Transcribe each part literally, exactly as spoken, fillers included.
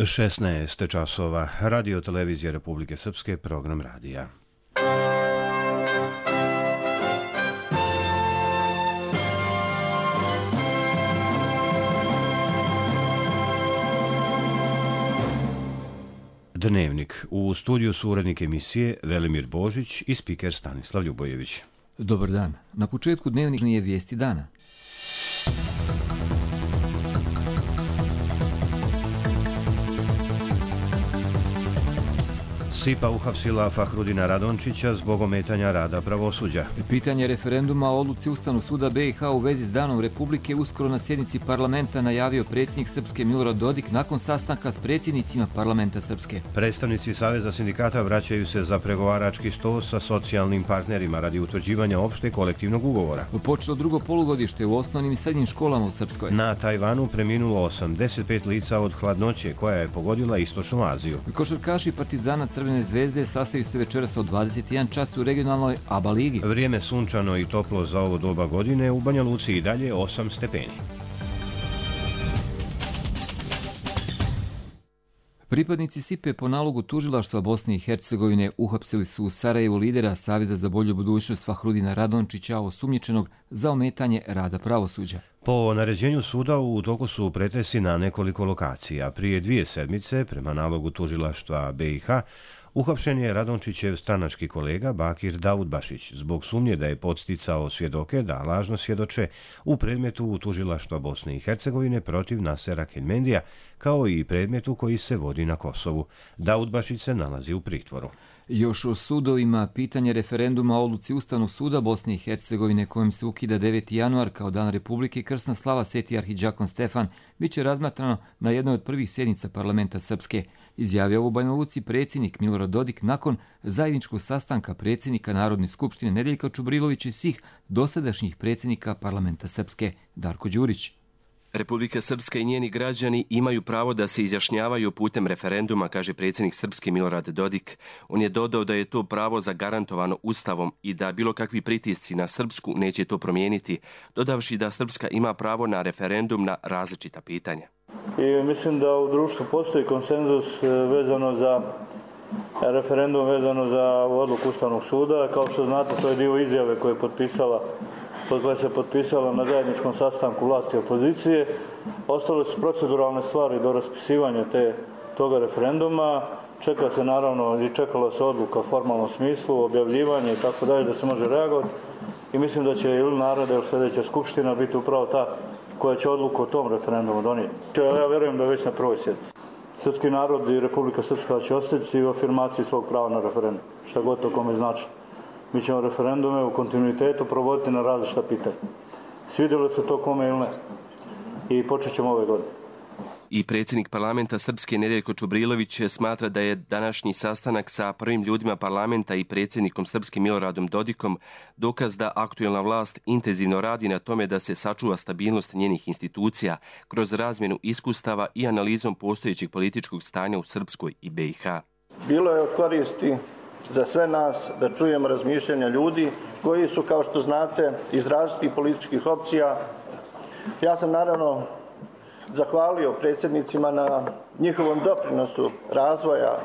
šesnaest časova, Radio Televizija Republike Srpske, program radija. Dnevnik. U studiju su urednik emisije Velimir Božić i spiker Stanislav Ljubojević. Dobar dan. Na početku dnevnika je vijesti dana. S I P A uhapsila Fahrudina Radončića zbog ometanja rada pravosuđa. Pitanje referenduma o odluci Ustavnog suda B i H u vezi s Danom Republike uskoro na sjednici parlamenta najavio predsjednik Srpske Milorad Dodik nakon sastanka s predsjednicima parlamenta Srpske. Predstavnici Saveza sindikata vraćaju se za pregovarački sto sa socijalnim partnerima radi utvrđivanja opšte kolektivnog ugovora. Počelo drugo polugodište u osnovnim i srednjim školama u Srpskoj. Na Tajvanu preminulo osamdeset pet lica od hladnoće koja je pogodila Istočnu Aziju. Košarkaši Partizana Crvene Zvezde sastaju se večeras od dvadeset jedan čas u regionalnoj A B A ligi. Vrijeme sunčano i toplo za ovo doba godine, u Banja Luci i dalje osam stepeni. Pripadnici S I P E po nalogu tužilaštva Bosne i Hercegovine uhapsili su u Sarajevu lidera Saveza za bolju budućnost Fahrudina Radončića, osumnjičenog za ometanje rada pravosuđa. Po naređenju suda u toku su pretresi na nekoliko lokacija. Prije dvije sedmice, prema nalogu tužilaštva B i H, uhapšen je Radončićev stranački kolega Bakir Daudbašić zbog sumnje da je podsticao svjedoke da lažno svjedoče u predmetu tužilaštva Bosne i Hercegovine protiv Nasera Keljmendija, kao i predmetu koji se vodi na Kosovu. Daudbašić se nalazi u pritvoru. Još o sudovima, pitanje referenduma o odluci Ustavnog suda Bosne i Hercegovine kojim se ukida deveti januar kao Dan Republike, krsna slava Sveti arhidžakon Stefan, bit će razmatrano na jednoj od prvih sjednica parlamenta Srpske. Izjavio u Banja Luci predsjednik Milorad Dodik nakon zajedničkog sastanka predsjednika Narodne skupštine Nedeljka Čubrilovića i svih dosadašnjih predsjednika parlamenta Srpske. Darko Đurić. Republika Srpska i njeni građani imaju pravo da se izjašnjavaju putem referenduma, kaže predsjednik Srpske Milorad Dodik. On je dodao da je to pravo zagarantovano Ustavom i da bilo kakvi pritisci na Srpsku neće to promijeniti, dodavši da Srpska ima pravo na referendum na različita pitanja. I mislim da u društvu postoji konsenzus vezano za referendum, vezano za odluku Ustavnog suda. Kao što znate, to je dio izjave koje je potpisala koja se potpisala na zajedničkom sastanku vlasti i opozicije. Ostale su proceduralne stvari do raspisivanja te, toga referenduma. Čeka se naravno i čekala se odluka u formalnom smislu, objavljivanje i tako dalje da se može reagovati. I mislim da će ili naroda ili sljedeća skupština biti upravo ta koja će odluku o tom referendumu donijeti. Ja vjerujem da je već na prvoj sjednici. Srpski narod i Republika Srpska će ostati u afirmaciji svog prava na referendum, šta god to kome znači. Mi ćemo referendume u kontinuitetu provoditi na različita pitanja. Svidjelo se to kome ili ne. I počet ćemo ove godine. I predsjednik parlamenta Srpske Nedeljko Čubrilović smatra da je današnji sastanak sa prvim ljudima parlamenta i predsjednikom Srpske Miloradom Dodikom dokaz da aktuelna vlast intenzivno radi na tome da se sačuva stabilnost njenih institucija kroz razmjenu iskustava i analizom postojećeg političkog stanja u Srpskoj i B i H. Bilo je od koristi za sve nas da čujemo razmišljanja ljudi koji su, kao što znate, iz različitih političkih opcija. Ja sam naravno zahvalio predsjednicima na njihovom doprinosu razvoja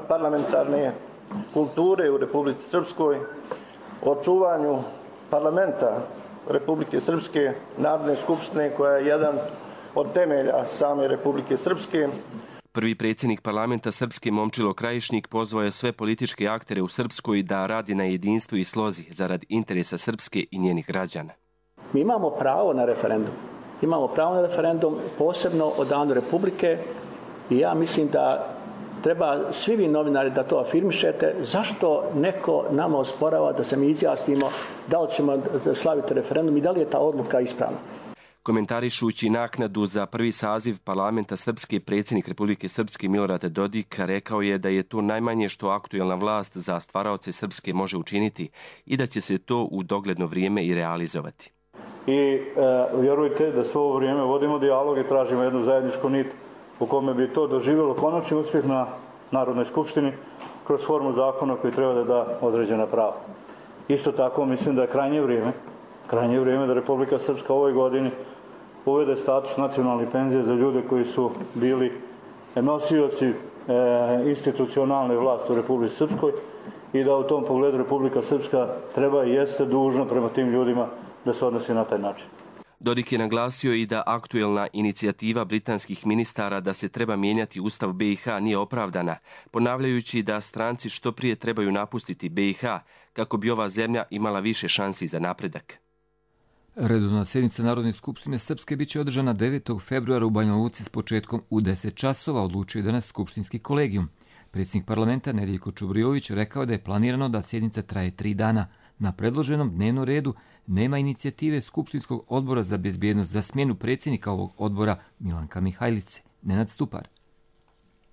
parlamentarne kulture u Republici Srpskoj, očuvanju parlamenta Republike Srpske, Narodne skupštine koja je jedan od temelja same Republike Srpske. Prvi predsjednik parlamenta Srpske Momčilo Krajišnik pozvao je sve političke aktere u Srpskoj da radi na jedinstvu i slozi zarad interesa Srpske i njenih građana. Mi imamo pravo na referendum. Imamo pravo na referendum posebno o Danu Republike i ja mislim da treba svi vi novinari da to afirmišete. Zašto neko nama osporava da se mi izjasnimo da li ćemo slaviti referendum i da li je ta odluka ispravna? Komentarišući naknadu za prvi saziv parlamenta Srpske, predsjednik Republike Srpske Milorad Dodik rekao je da je to najmanje što aktuelna vlast za stvaraoce Srpske može učiniti i da će se to u dogledno vrijeme i realizovati. I e, vjerujte da svo ovo vrijeme vodimo dijalog i tražimo jednu zajedničku nit u kome bi to doživjelo konačni uspjeh na Narodnoj skupštini kroz formu zakona koji treba da da određena prava. Isto tako mislim da je krajnje vrijeme, krajnje vrijeme da Republika Srpska u ovoj godini uvede status nacionalne penzije za ljude koji su bili nosioci e, institucionalne vlasti u Republici Srpskoj i da u tom pogledu Republika Srpska treba i jeste dužna prema tim ljudima da se odnosi na taj način. Dodik je naglasio i da aktuelna inicijativa britanskih ministara da se treba mijenjati Ustav B i H nije opravdana, ponavljajući da stranci što prije trebaju napustiti B i H kako bi ova zemlja imala više šansi za napredak. Redovna sjednica Narodne skupštine Srpske biće održana devetog februara u Banja Luci s početkom u deset časova, odlučio je danas skupštinski kolegijum. Predsjednik parlamenta Nedeljko Čubrilović rekao da je planirano da sjednica traje tri dana. Na predloženom dnevnom redu nema inicijative Skupštinskog odbora za bezbjednost za smjenu predsjednika ovog odbora Milanka Mihajlice. Nenad Stupar.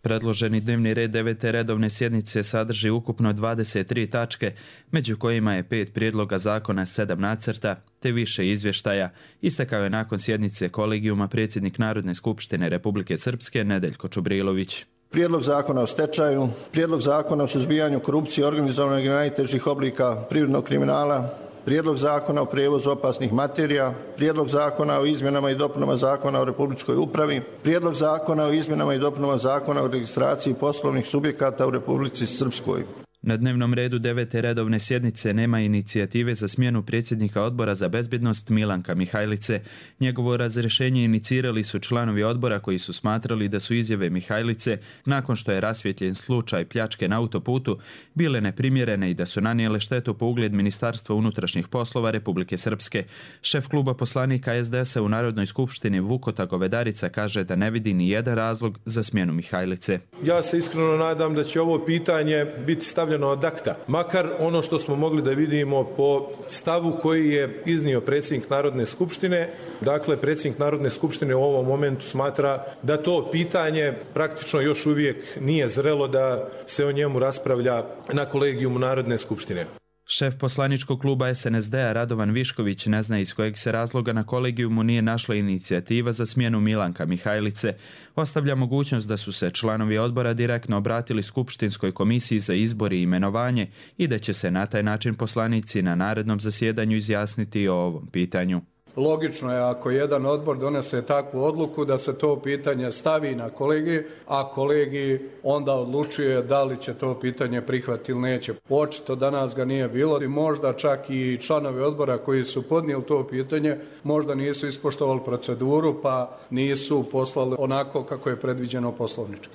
Predloženi dnevni red devete redovne sjednice sadrži ukupno dvadeset tri tačke, među kojima je pet prijedloga zakona, sedam nacrta, te više izvještaja, istakao je nakon sjednice kolegijuma predsjednik Narodne skupštine Republike Srpske Nedeljko Čubrilović. Prijedlog zakona o stečaju, prijedlog zakona o suzbijanju korupcije, organizovanog i najtežih oblika privrednog kriminala, prijedlog zakona o prijevozu opasnih materija, prijedlog zakona o izmjenama i dopunama zakona o republičkoj upravi, prijedlog zakona o izmjenama i dopunama zakona o registraciji poslovnih subjekata u Republici Srpskoj. Na dnevnom redu devete redovne sjednice nema inicijative za smjenu predsjednika odbora za bezbjednost Milanka Mihajlice. Njegovo razrješenje inicirali su članovi odbora koji su smatrali da su izjave Mihajlice, nakon što je rasvjetljen slučaj pljačke na autoputu, bile neprimjerene i da su nanijele štetu po ugled Ministarstva unutrašnjih poslova Republike Srpske. Šef kluba poslanika es de es a u Narodnoj skupštini Vukota Govedarica kaže da ne vidi ni jedan razlog za smjenu Mihajlice. Ja se iskreno nadam da će ovo pitanje biti stavljeno od akta. Makar ono što smo mogli da vidimo po stavu koji je iznio predsjednik Narodne skupštine. Dakle, predsjednik Narodne skupštine u ovom momentu smatra da to pitanje praktično još uvijek nije zrelo da se o njemu raspravlja na kolegijumu Narodne skupštine. Šef poslaničkog kluba es en es de a Radovan Višković ne zna iz kojeg se razloga na kolegijumu nije našla inicijativa za smjenu Milanka Mihajlice. Ostavlja mogućnost da su se članovi odbora direktno obratili Skupštinskoj komisiji za izbor i imenovanje i da će se na taj način poslanici na narednom zasjedanju izjasniti o ovom pitanju. Logično je ako jedan odbor donese takvu odluku da se to pitanje stavi na kolegij, a kolegij onda odlučuje da li će to pitanje prihvatiti ili neće. Očito danas ga nije bilo i možda čak i članovi odbora koji su podnijeli to pitanje možda nisu ispoštovali proceduru pa nisu poslali onako kako je predviđeno poslovnički.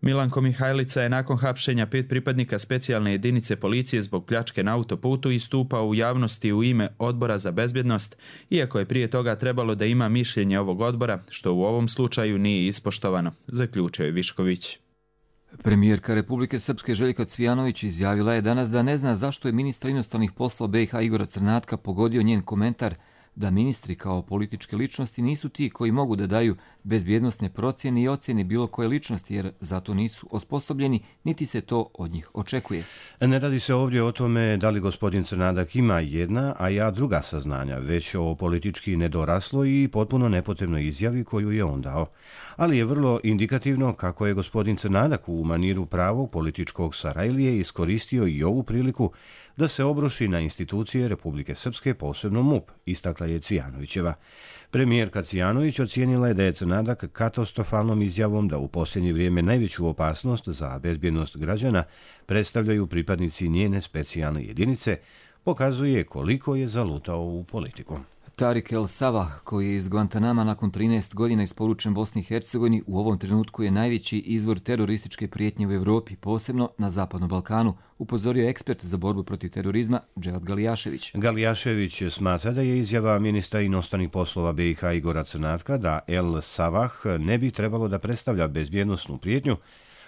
Milanko Mihajlica je nakon hapšenja pet pripadnika specijalne jedinice policije zbog pljačke na autoputu istupao u javnosti u ime Odbora za bezbjednost, iako je prije toga trebalo da ima mišljenje ovog odbora, što u ovom slučaju nije ispoštovano, zaključio je Višković. Premijerka Republike Srpske Željka Cvijanović izjavila je danas da ne zna zašto je ministar inostranih poslova be i ha Igora Crnatka pogodio njen komentar da ministri kao političke ličnosti nisu ti koji mogu da daju bezbjednosne procjene i ocjene bilo koje ličnosti, jer zato nisu osposobljeni, niti se to od njih očekuje. Ne radi se ovdje o tome da li gospodin Crnadak ima jedna, a ja druga saznanja, već o politički nedorasloj i potpuno nepotrebnoj izjavi koju je on dao. Ali je vrlo indikativno kako je gospodin Crnadak u maniru pravog političkog Sarajlije iskoristio i ovu priliku da se obruši na institucije Republike Srpske, posebno MUP, istakla je Cvijanovićeva. Premijerka Cvijanović ocijenila je da je Crnadak katastrofalnom izjavom da u posljednje vrijeme najveću opasnost za bezbjednost građana predstavljaju pripadnici njene specijalne jedinice, pokazuje koliko je zalutao u politiku. Tarik El Savah, koji je iz Guantanama nakon trinaest godina isporučen Bosni i Hercegovini, u ovom trenutku je najveći izvor terorističke prijetnje u Evropi, posebno na Zapadnom Balkanu, upozorio ekspert za borbu protiv terorizma Dževat Galijašević. Galijašević smatra da je izjava ministra inostranih poslova be i ha Igora Crnatka da El Savah ne bi trebalo da predstavlja bezbjednosnu prijetnju,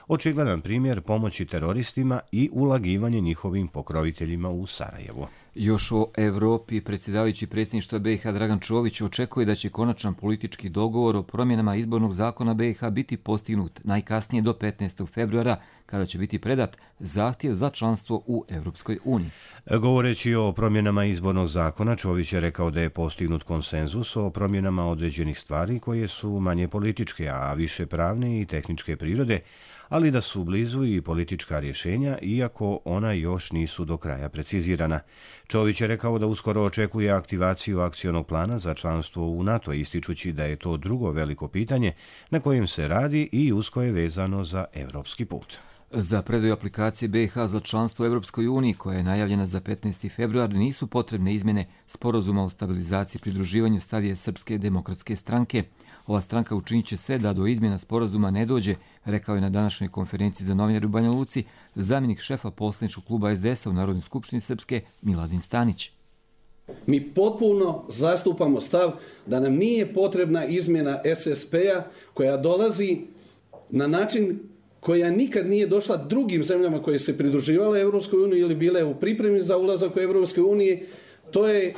očigledan primjer pomoći teroristima i ulagivanje njihovim pokroviteljima u Sarajevo. Još o Evropi, predsjedavajući predsjedništva be i ha Dragan Čović očekuje da će konačan politički dogovor o promjenama izbornog zakona be i ha biti postignut najkasnije do petnaestog februara, kada će biti predat zahtjev za članstvo u Europskoj uniji. Govoreći o promjenama izbornog zakona, Čović je rekao da je postignut konsenzus o promjenama određenih stvari koje su manje političke, a više pravne i tehničke prirode, ali da su blizu i politička rješenja, iako ona još nisu do kraja precizirana. Čović je rekao da uskoro očekuje aktivaciju akcionog plana za članstvo u NATO, ističući da je to drugo veliko pitanje na kojem se radi i usko je vezano za evropski put. Za predaju aplikacije B i H za članstvo u Europskoj uniji, koja je najavljena za petnaesti februar, nisu potrebne izmjene sporazuma o stabilizaciji i pridruživanju, stavije Srpske demokratske stranke. Ova stranka učinit će sve da do izmjena sporazuma ne dođe, rekao je na današnjoj konferenciji za novinare u Banja Luci zamjenik šefa poslaničkog kluba S D S-a u Narodnoj skupštini Srpske Miladin Stanić. Mi potpuno zastupamo stav da nam nije potrebna izmjena S S P-a koja dolazi na način koja nikad nije došla drugim zemljama koje se pridruživale Europskoj uniji ili bile u pripremi za ulazak u Europskoj uniji. To je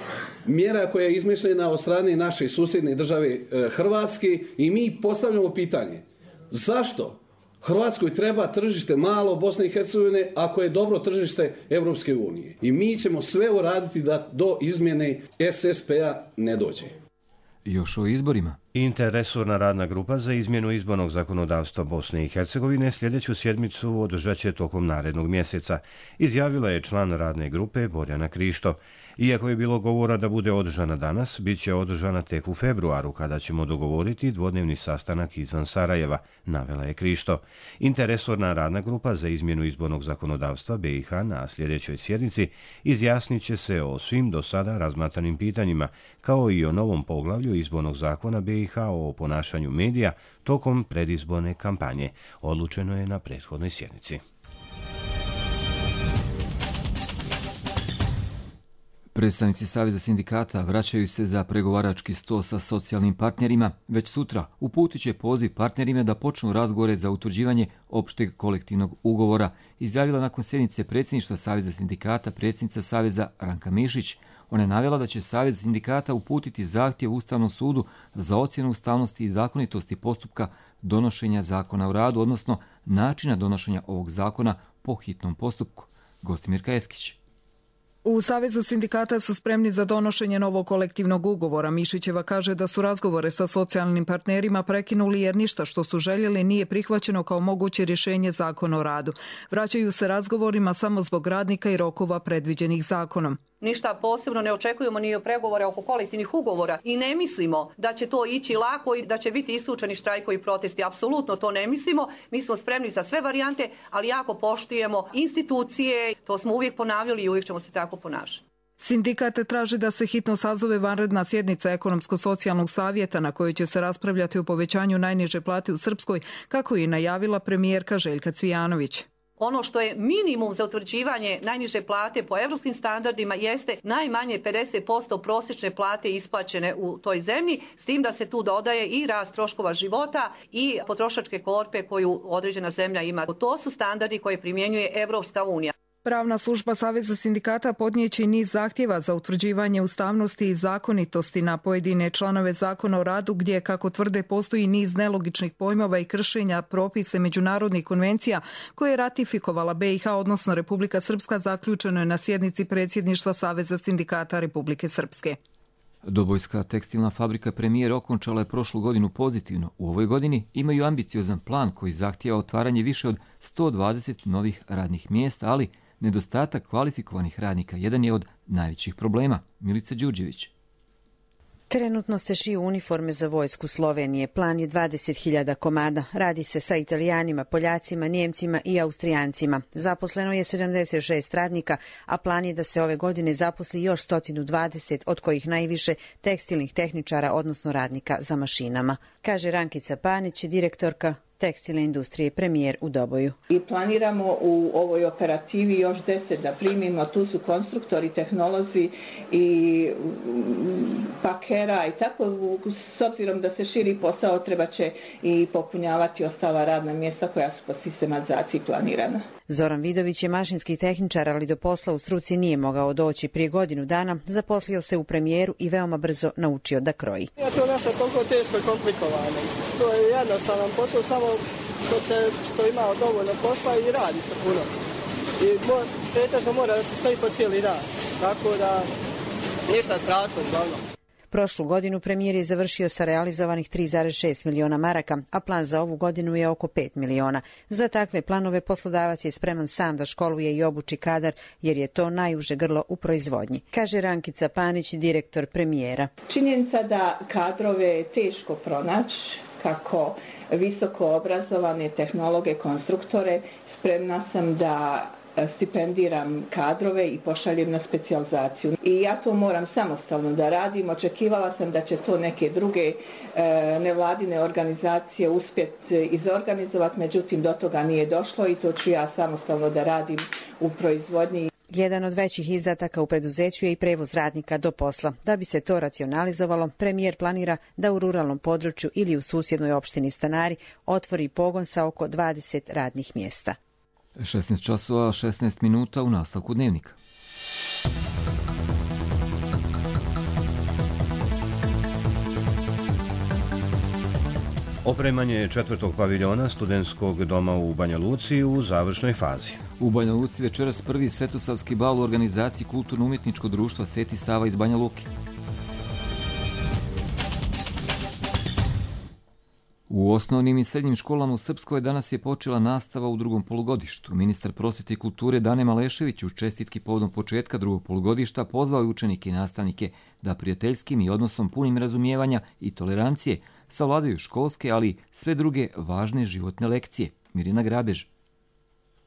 mjera koja je izmišljena od strane naše susjedne države Hrvatske i mi postavljamo pitanje zašto Hrvatskoj treba tržište malo Bosne i Hercegovine ako je dobro tržište Europske unije. I mi ćemo sve uraditi da do izmjene S S P-a ne dođe. Još o izborima. Interresorna radna grupa za izmjenu izbornog zakonodavstva Bosne i Hercegovine sljedeću sjedmicu održat će tokom narednog mjeseca, izjavila je član radne grupe Borjana Krišto. Iako je bilo govora da bude održana danas, bit će održana tek u februaru, kada ćemo dogovoriti dvodnevni sastanak izvan Sarajeva, navela je Krišto. Interresorna radna grupa za izmjenu izbornog zakonodavstva B i H na sljedećoj sjednici izjasnit će se o svim do sada razmatranim pitanjima, kao i o novom poglavlju izbornog zakona B i H o ponašanju medija tokom predizborne kampanje. Odlučeno je na prethodnoj sjednici. Predstavnici Saveza sindikata vraćaju se za pregovarački sto sa socijalnim partnerima. Već sutra uputit će poziv partnerima da počnu razgovore za utvrđivanje opšteg kolektivnog ugovora, izjavila nakon sjednice predsjedništva Saveza sindikata predsjednica Saveza Ranka Mišić. Ona je navela da će Savez sindikata uputiti zahtjev Ustavnom sudu za ocjenu ustavnosti i zakonitosti postupka donošenja zakona o radu, odnosno načina donošenja ovog zakona po hitnom postupku. Gostimirka Eskić. U Savezu sindikata su spremni za donošenje novog kolektivnog ugovora. Mišićeva kaže da su razgovore sa socijalnim partnerima prekinuli jer ništa što su željeli nije prihvaćeno kao moguće rješenje zakona o radu. Vraćaju se razgovorima samo zbog radnika i rokova predviđenih zakonom. Ništa posebno ne očekujemo ni o pregovore oko kolektivnih ugovora i ne mislimo da će to ići lako i da će biti isključeni štrajkovi i protesti. Apsolutno to ne mislimo. Mi smo spremni za sve varijante, ali jako poštujemo institucije. To smo uvijek ponavljali i uvijek ćemo se tako ponašati. Sindikat traži da se hitno sazove vanredna sjednica Ekonomsko-socijalnog savjeta na kojoj će se raspravljati o povećanju najniže plate u Srpskoj, kako je najavila premijerka Željka Cvijanović. Ono što je minimum za utvrđivanje najniže plate po evropskim standardima jeste najmanje pedeset posto prosječne plate isplaćene u toj zemlji, s tim da se tu dodaje i rast troškova života i potrošačke korpe koju određena zemlja ima. To su standardi koje primjenjuje Evropska unija. Pravna služba Saveza sindikata podnijeće niz zahtjeva za utvrđivanje ustavnosti i zakonitosti na pojedine članove zakona o radu gdje, kako tvrde, postoji niz nelogičnih pojmova i kršenja propise međunarodnih konvencija koje je ratifikovala B i H, odnosno Republika Srpska, zaključeno je na sjednici predsjedništva Saveza sindikata Republike Srpske. Dobojska tekstilna fabrika Premijer okončala je prošlu godinu pozitivno. U ovoj godini imaju ambiciozan plan koji zahtijeva otvaranje više od sto dvadeset novih radnih mjesta, ali nedostatak kvalifikovanih radnika jedan je od najvećih problema. Milica Đurđević. Trenutno se šiju uniforme za vojsku Slovenije. Plan je dvadeset hiljada komada. Radi se sa Italijanima, Poljacima, Njemcima i Austrijancima. Zaposleno je sedamdeset šest radnika, a plan je da se ove godine zaposli još sto dvadeset, od kojih najviše tekstilnih tehničara, odnosno radnika za mašinama. Kaže Rankica Panić, direktorka tekstilne industrije Premijer u Doboju. I planiramo u ovoj operativi još deset da primimo. Tu su konstruktori, tehnolozi i pakera i tako. S obzirom da se širi posao, treba će i popunjavati ostala radna mjesta koja su po sistematizaciji planirana. Zoran Vidović je mašinski tehničar, ali do posla u struci nije mogao doći. Prije godinu dana zaposlio se u Premijeru i veoma brzo naučio da kroji. Ja to nešto toliko teško i komplikovano. To je jednostavan posao, samo što, se, što ima dovoljno posla i radi se puno. I pretežno mora da se stoji po cijeli dan, tako da ništa strašno uglavnom. Prošlu godinu premijer je završio sa realizovanih tri zarez šest miliona maraka, a plan za ovu godinu je oko pet miliona. Za takve planove poslodavac je spreman sam da školuje i obuči kadar, jer je to najuže grlo u proizvodnji, kaže Rankica Panić, direktor premijera. Činjenica da kadrove je teško pronaći, kako visoko obrazovane tehnologe, konstruktore, spremna sam da stipendiram kadrove i pošaljem na specijalizaciju. I ja to moram samostalno da radim. Očekivala sam da će to neke druge e, nevladine organizacije uspjeti izorganizovati, međutim do toga nije došlo i to ću ja samostalno da radim u proizvodnji. Jedan od većih izdataka u preduzeću je i prevoz radnika do posla. Da bi se to racionalizovalo, premijer planira da u ruralnom području ili u susjednoj opštini Stanari otvori pogon sa oko dvadeset radnih mjesta. šesnaest časova šesnaest minuta u nastavku dnevnika. Opremanje četvrtog paviljona studentskog doma u Banja Luci u završnoj fazi. U Banja Luci večeras prvi svetosavski bal u organizaciji Kulturno-umjetničkog društva Sveti Sava iz Banja Luke. U osnovnim i srednjim školama u Srpskoj danas je počela nastava u drugom polugodištu. Ministar prosvjete i kulture Dane Malešević u čestitki povodom početka drugog polugodišta pozvao je učenike i nastavnike da prijateljskim i odnosom punim razumijevanja i tolerancije savladaju školske, ali sve druge važne životne lekcije. Mirina Grabež.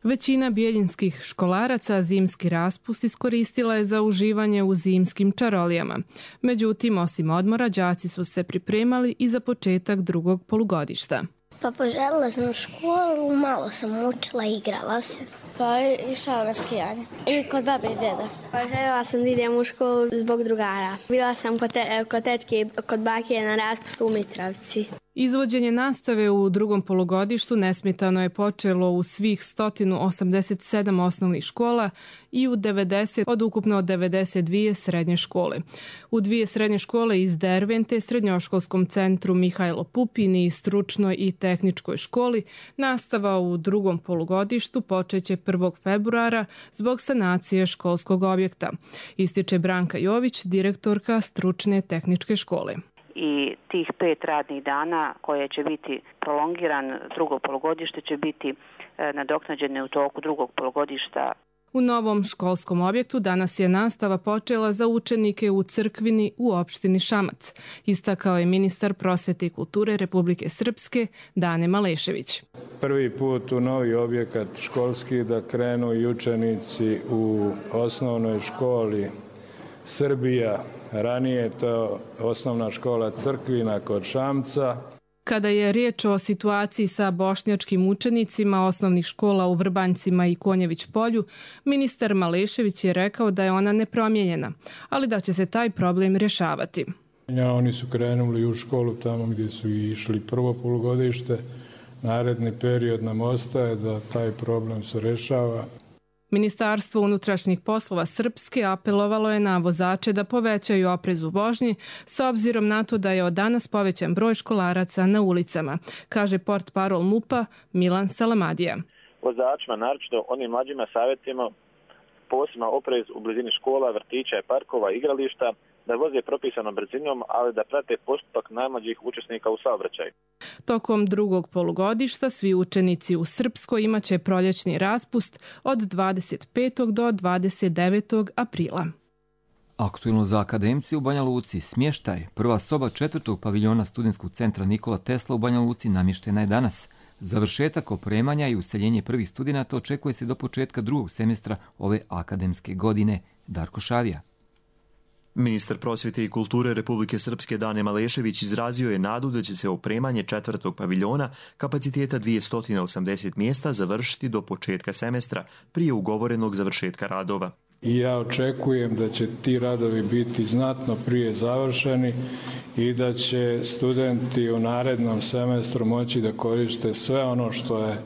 Većina bijeljinskih školaraca zimski raspust iskoristila je za uživanje u zimskim čarolijama. Međutim, osim odmora, đaci su se pripremali i za početak drugog polugodišta. Pa poželjela sam u školu, malo sam učila i igrala se. Pa išao na skijanje. I kod babe i deda. Pa željela sam da idem u školu zbog drugara. Bila sam kod, te, kod tetke, kod bake na raspustu u Mitrovci. Izvođenje nastave u drugom polugodištu nesmetano je počelo u svih sto osamdeset sedam osnovnih škola i u devedeset od ukupno devedeset dvije srednje škole. U dvije srednje škole iz Dervente, srednjoškolskom centru Mihajlo Pupin i stručnoj i tehničkoj školi, nastava u drugom polugodištu počeće prvog februara zbog sanacije školskog objekta, ističe Branka Jović, direktorka stručne tehničke škole. I tih pet radnih dana koje će biti prolongiran drugo polugodište će biti nadoknađene u toku drugog polugodišta. U novom školskom objektu danas je nastava počela za učenike u Crkvini u opštini Šamac, istakao je ministar prosvjete i kulture Republike Srpske Dane Malešević. Prvi put u novi objekat školski da krenu i učenici u osnovnoj školi Srbija. Ranije to osnovna škola Crkvina kod Šamca. Kada je riječ o situaciji sa bošnjačkim učenicima osnovnih škola u Vrbanjcima i Konjević polju, ministar Malešević je rekao da je ona nepromijenjena, ali da će se taj problem rješavati. Oni su krenuli u školu tamo gdje su išli prvo polugodište. Naredni period nam ostaje da taj problem se rješava. Ministarstvo unutrašnjih poslova Srpske apelovalo je na vozače da povećaju oprez u vožnji s obzirom na to da je od danas povećan broj školaraca na ulicama, kaže portparol MUP-a Milan Salamadija. Vozačima, naročito onim mlađima, savjetimo posebno oprez u blizini škola, vrtića i parkova, igrališta, da voze propisanom brzinom, ali da prate postupak najmlađih učesnika u saobraćaju. Tokom drugog polugodišta svi učenici u Srpskoj imaće proljećni raspust od dvadeset petog do dvadeset devetog aprila. Aktuelno za akademci u Banja Luci. Smještaj. Prva soba četvrtog paviljona studentskog centra Nikola Tesla u Banja Luci namještena je danas. Završetak opremanja i useljenje prvih studenata očekuje se do početka drugog semestra ove akademske godine. Darko Šavija. Ministar prosvjete i kulture Republike Srpske Dane Malešević izrazio je nadu da će se opremanje četvrtog paviljona kapaciteta dvjesto osamdeset mjesta završiti do početka semestra, prije ugovorenog završetka radova. I ja očekujem da će ti radovi biti znatno prije završeni i da će studenti u narednom semestru moći da koriste sve ono što je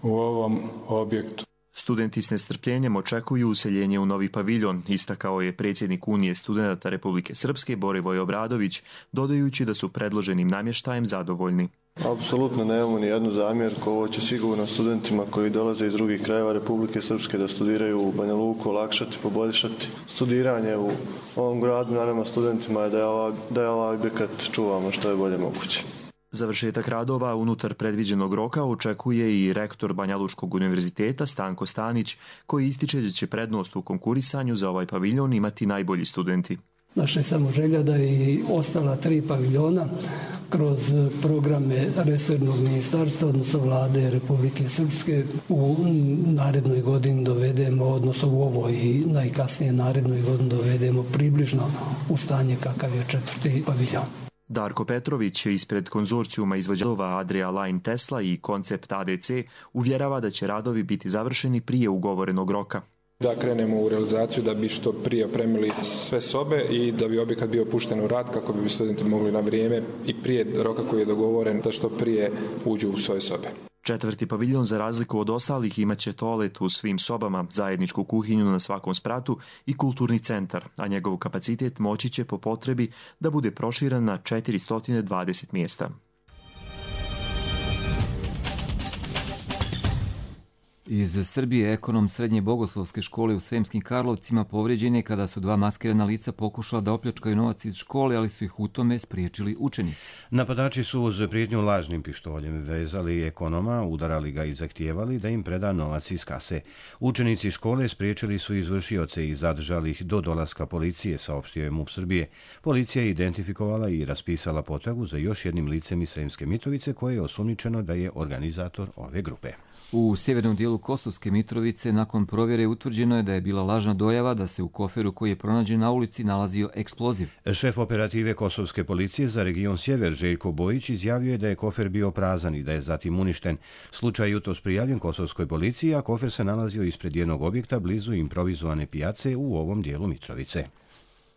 u ovom objektu. Studenti s nestrpljenjem očekuju useljenje u novi paviljon, istakao je predsjednik Unije studenata Republike Srpske Borivoje Obradović, dodajući da su predloženim namještajem zadovoljni. Apsolutno nemamo ni jednu zamjerku. Ovo će sigurno studentima koji dolaze iz drugih krajeva Republike Srpske da studiraju u Banja Luku olakšati, poboljšati studiranje u ovom gradu. Naravno studentima je da je ovaj, da je ovaj objekat čuvamo što je bolje moguće. Završetak radova unutar predviđenog roka očekuje i rektor Banjalučkog univerziteta Stanko Stanić, koji ističe da će prednost u konkurisanju za ovaj paviljon imati najbolji studenti. Naša je samo želja da i ostala tri paviljona kroz programe resornog ministarstva, odnosno vlade Republike Srpske, u narednoj godini dovedemo, odnosno u ovoj i najkasnije narednoj godini dovedemo približno u stanje kakav je četvrti paviljon. Darko Petrović ispred konzorcijuma izvođača Adria Line Tesla i Koncept A D C uvjerava da će radovi biti završeni prije ugovorenog roka. Da krenemo u realizaciju da bi što prije opremili sve sobe i da bi objekat bio pušten u rad kako bi studenti mogli na vrijeme i prije roka koji je dogovoren da što prije uđu u svoje sobe. Četvrti paviljon, za razliku od ostalih, imaće toalet u svim sobama, zajedničku kuhinju na svakom spratu i kulturni centar, a njegov kapacitet moći će po potrebi da bude proširen na četiristo dvadeset mjesta. Iz Srbije ekonom Srednje bogoslovske škole u Sremskim Karlovcima povrijeđen je kada su dva maskirana lica pokušala da opljačkaju novac iz škole, ali su ih u tome spriječili učenici. Napadači su uz prijetnju lažnim pištoljem vezali ekonoma, udarali ga i zahtijevali da im preda novac iz kase. Učenici škole spriječili su izvršioce i zadržali ih do dolaska policije, saopštio je MUP Srbije. Policija je identifikovala i raspisala potragu za još jednim licem iz Sremske Mitrovice koje je osumnjičeno da je organizator ove grupe. U sjevernom dijelu Kosovske Mitrovice nakon provjere utvrđeno je da je bila lažna dojava da se u koferu koji je pronađen na ulici nalazio eksploziv. Šef operative Kosovske policije za region Sjever Željko Bojić izjavio je da je kofer bio prazan i da je zatim uništen. Slučaj jutros prijavljen Kosovskoj policiji, a kofer se nalazio ispred jednog objekta blizu improvizovane pijace u ovom dijelu Mitrovice.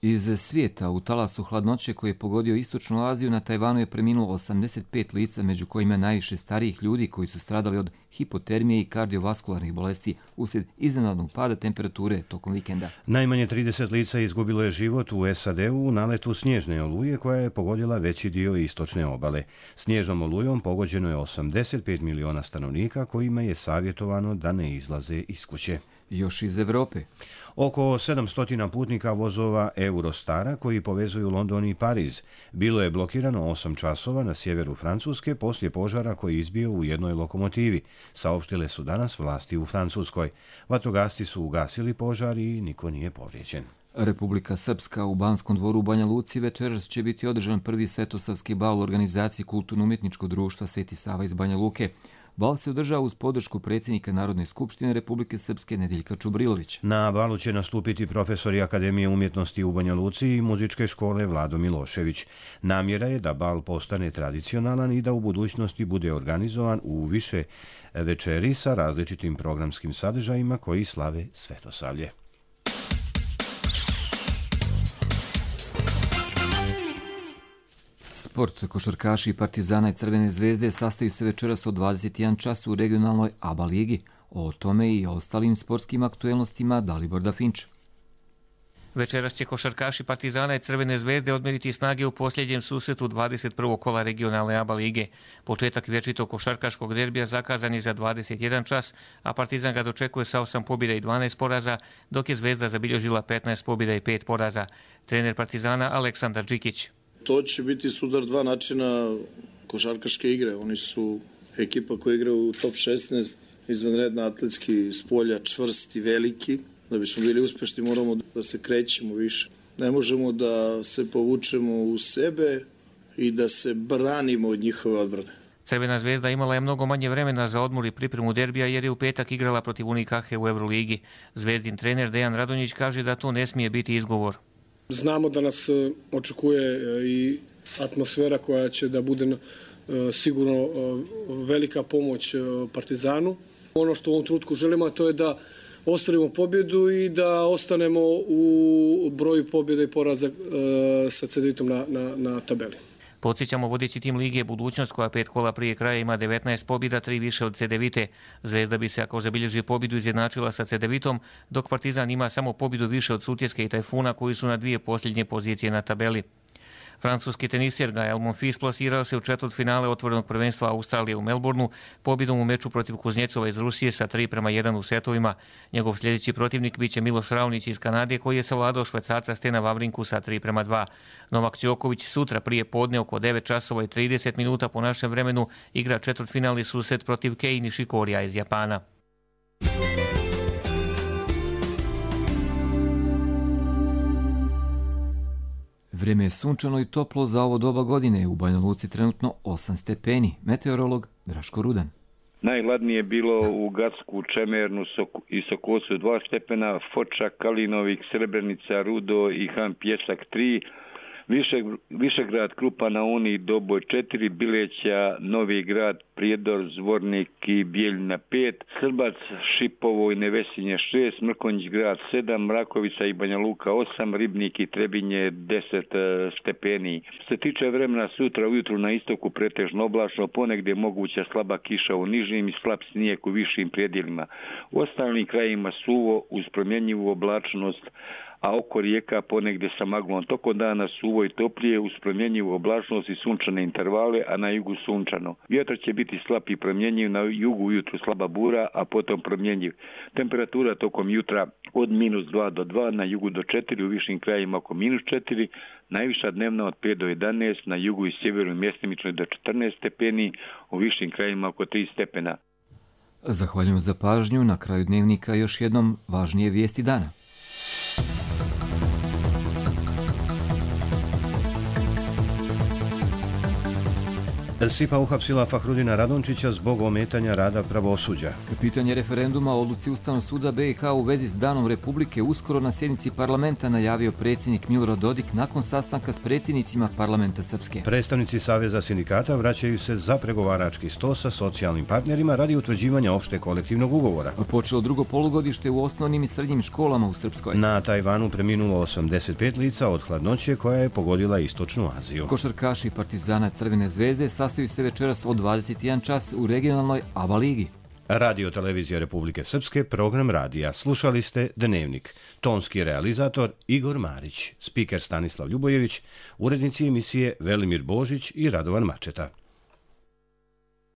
Iz svijeta u talasu hladnoće koji je pogodio istočnu Aziju na Tajvanu je preminulo osamdeset pet lica, među kojima najviše starijih ljudi koji su stradali od hipotermije i kardiovaskularnih bolesti uslijed iznenadnog pada temperature tokom vikenda. Najmanje trideset lica izgubilo je život u S A D-u u naletu snježne oluje koja je pogodila veći dio istočne obale. Snježnom olujom pogođeno je osamdeset pet miliona stanovnika kojima je savjetovano da ne izlaze iz kuće. Još iz Evrope. Oko sedamsto putnika vozova Eurostara koji povezuju London i Pariz bilo je blokirano osam časova na sjeveru Francuske poslije požara koji je izbio u jednoj lokomotivi, saopštile su danas vlasti u Francuskoj. Vatrogasci su ugasili požar i niko nije povrijeđen. Republika Srpska u Banskom dvoru u Banja Luci večeras će biti održan prvi svetosavski bal u organizaciji Kulturno-umjetničkog društva Sveti Sava iz Banja Luke. Bal se održava uz podršku predsjednika Narodne skupštine Republike Srpske Nedeljka Čubrilović. Na balu će nastupiti profesori Akademije umjetnosti u Banja Luci i muzičke škole Vlado Milošević. Namjera je da bal postane tradicionalan i da u budućnosti bude organizovan u više večeri sa različitim programskim sadržajima koji slave Svetosavlje. Sport, košarkaši Partizana i Crvene zvezde sastaju se večeras od dvadeset jedan čas u regionalnoj A B A ligi. O tome i ostalim sportskim aktuelnostima Dalibor Dafinč. Večeras će košarkaši Partizana i Crvene zvezde odmeriti snage u posljednjem susretu dvadeset prvog kola regionalne A B A lige. Početak vječitog košarkaškog derbija zakazan je za dvadeset jedan čas, a Partizan ga dočekuje sa osam pobjeda i dvanaest poraza, dok je Zvezda zabilježila petnaest pobjeda i pet poraza. Trener Partizana Aleksandar Đikić. To će biti sudar dva načina košarkaške igre. Oni su ekipa koja igra u top šesnaest, izvanredna atletski, spolja, čvrsti, veliki. Da bismo bili uspješni moramo da se krećemo više. Ne možemo da se povučemo u sebe i da se branimo od njihove odbrane. Crvena zvezda imala je mnogo manje vremena za odmor i pripremu derbija jer je u petak igrala protiv Unikahe u Euroligi. Zvezdin trener Dejan Radonjić kaže da to ne smije biti izgovor. Znamo da nas očekuje i atmosfera koja će da bude sigurno velika pomoć Partizanu. Ono što u ovom trenutku želimo to je da ostvarimo pobjedu i da ostanemo u broju pobjeda i poraza sa ceditom na, na, na tabeli. Podsjećamo, vodeći tim lige Budućnost, koja pet kola prije kraja ima devetnaest pobjeda, tri više od Cedevite. Zvezda bi se, ako zabilježi pobjedu, izjednačila sa Cedevitom, dok Partizan ima samo pobjedu više od Sutjeske i Tajfuna, koji su na dvije posljednje pozicije na tabeli. Francuski tenisjer Gael Monfils plasirao se u četvrtfinale otvorenog prvenstva Australije u Melbourneu pobjedom u meču protiv Kuznjecova iz Rusije sa tri prema jedan u setovima. Njegov sljedeći protivnik biće Miloš Raonić iz Kanade, koji je savladao Švajcarca Stena Vavrinku sa tri prema dva. Novak Đoković sutra prije podne oko devet časova i trideset minuta po našem vremenu igra četvrtfinalni susret protiv Kei Nishikorija iz Japana. Vrijeme je sunčano i toplo za ovo doba godine. U Banja Luci trenutno osam stepeni. Meteorolog Draško Rudan. Najhladnije je bilo u Gacku, Čemernu i Sokosu dva stepena, Foča, Kalinovik, Srebrenica, Rudo i Han Pjesak tri, Više, Višegrad, Krupa na Uni, Doboj četiri, Bileća, Novi Grad, Prijedor, Zvornik i Bijeljina pet, Srbac, Šipovo i Nevesinje šest, Mrkonjić grad sedam, Mrakovica i Banja Luka osam, Ribnik i Trebinje deset stepeni. Što se tiče vremena, sutra ujutru na istoku pretežno oblačno, ponegdje moguća slaba kiša u nižim i slab snijeg u višim predjelima. U ostalim krajima suvo uz promjenjivu oblačnost, a oko rijeka ponegdje sa maglom. Tokom dana suvo i toplije uz promjenjivu oblačnost i sunčane intervale, a na jugu sunčano. Vjetar će biti slab i promjenjiv, na jugu ujutru slaba bura, a potom promjenjiv. Temperatura tokom jutra od minus dva do dva, na jugu do četiri, u višim krajima oko minus četiri, najviša dnevna od pet do jedanaest, na jugu i sjeveru mjestimično do četrnaest stepeni, u višim krajima oko tri stepena. Zahvaljujem za pažnju. Na kraju dnevnika još jednom važnije vijesti dana. SIPA uhapsila Fahrudina Radončića zbog ometanja rada pravosuđa. Pitanje referenduma o odluci Ustavnog suda B i H u vezi s Danom Republike uskoro na sjednici parlamenta najavio predsjednik Milorad Dodik nakon sastanka s predsjednicima parlamenta Srpske. Predstavnici Saveza sindikata vraćaju se za pregovarački sto sa socijalnim partnerima radi utvrđivanja opšte kolektivnog ugovora. Počelo drugo polugodište u osnovnim i srednjim školama u Srpskoj. Na Tajvanu preminulo osamdeset pet lica od hladnoće koja je pogodila istočnu Aziju. Košarkaši Partizana Crvene zvezde sastaju se večeras od dvadeset jedan čas u regionalnoj ABA ligi. Radio Televizija Republike Srpske, program radija. Slušali ste Dnevnik. Tonski realizator Igor Marić, spiker Stanislav Ljubojević, urednici emisije Velimir Božić i Radovan Mačeta.